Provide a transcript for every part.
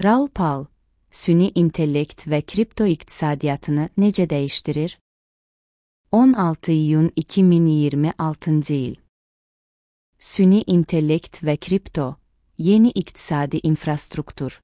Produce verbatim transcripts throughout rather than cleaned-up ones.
Raul Pal, süni intellekt və kripto iqtisadiyyatını necə dəyişdirir? on altı iyun iki min iyirmi altıncı il. Süni intellekt və kripto, yeni iqtisadi infrastruktur.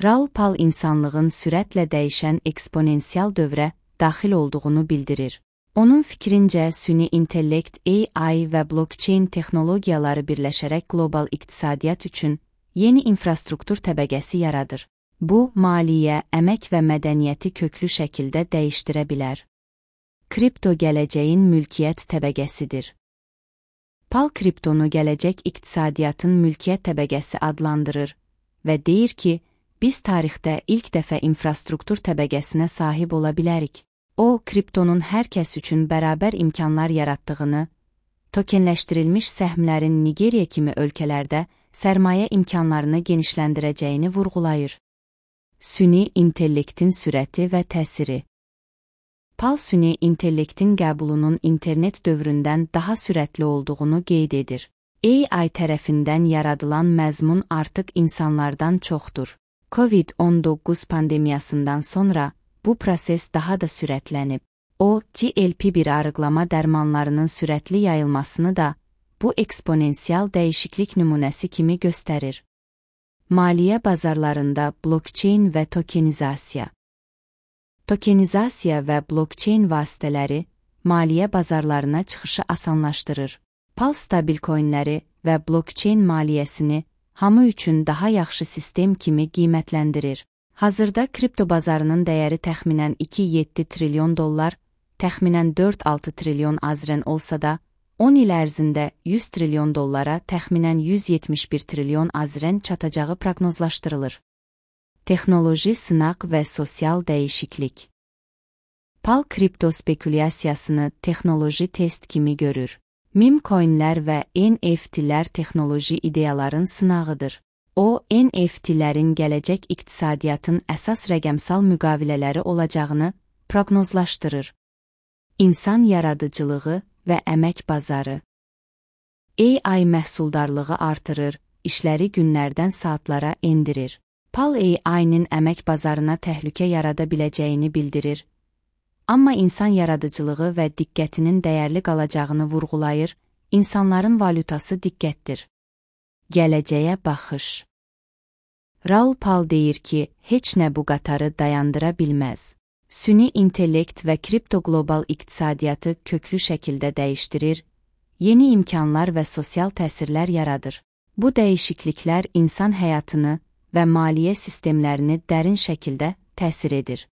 Raul Pal insanlığın sürətlə dəyişən eksponensial dövrə daxil olduğunu bildirir. Onun fikrincə, süni intellekt, A I və blockchain texnologiyaları birləşərək qlobal iqtisadiyyat üçün yeni infrastruktur təbəqəsi yaradır. Bu, maliyyə, əmək və mədəniyyəti köklü şəkildə dəyişdirə bilər. Kripto gələcəyin mülkiyyət təbəqəsidir. Pal kriptonu gələcək iqtisadiyyatın mülkiyyət təbəqəsi adlandırır və deyir ki, biz tarixdə ilk dəfə infrastruktur təbəqəsinə sahib ola bilərik. O, kriptonun hər kəs üçün bərabər imkanlar yaratdığını, tokenləşdirilmiş səhmlərin Nigeriya kimi ölkələrdə sərmayə imkanlarını genişləndirəcəyini vurğulayır. Süni intellektin sürəti və təsiri. Pal süni intellektin qəbulunun internet dövründən daha sürətli olduğunu qeyd edir. A I tərəfindən yaradılan məzmun artıq insanlardan çoxdur. COVID on doqquz pandemiyasından sonra bu proses daha da sürətlənib. O, G L P bir arıqlama dərmanlarının sürətli yayılmasını da bu eksponensial dəyişiklik nümunəsi kimi göstərir. Maliyyə bazarlarında blockchain və tokenizasiya. Tokenizasiya və blockchain vasitələri maliyyə bazarlarına çıxışı asanlaşdırır. Pal stabil coinləri və blockchain maliyyəsini hamı üçün daha yaxşı sistem kimi qiymətləndirir. Hazırda kripto bazarının dəyəri təxminən iki nöqtə yeddi trilyon dollar, təxminən dörd nöqtə altı trilyon azrən olsa da, on il ərzində yüz trilyon dollara, təxminən yüz yetmiş bir trilyon azrən çatacağı proqnozlaşdırılır. Texnoloji sınaq və sosial dəyişiklik. Pal kripto spekulyasiyasını texnoloji test kimi görür. Meme coinlər və N F T'lər texnoloji ideyaların sınağıdır. O, N F T'lərin gələcək iqtisadiyyatın əsas rəqəmsal müqavilələri olacağını proqnozlaşdırır. İnsan yaradıcılığı və əmək bazarı. A I məhsuldarlığı artırır, işləri günlərdən saatlara endirir. Pal A I-nin əmək bazarına təhlükə yarada biləcəyini bildirir. Amma insan yaradıcılığı və diqqətinin dəyərli qalacağını vurğulayır, insanların valyutası diqqətdir. Gələcəyə baxış. Raul Pal deyir ki, heç nə bu qatarı dayandıra bilməz. Süni intellekt və kripto qlobal iqtisadiyyatı köklü şəkildə dəyişdirir, yeni imkanlar və sosial təsirlər yaradır. Bu dəyişikliklər insan həyatını və maliyyə sistemlərini dərin şəkildə təsir edir.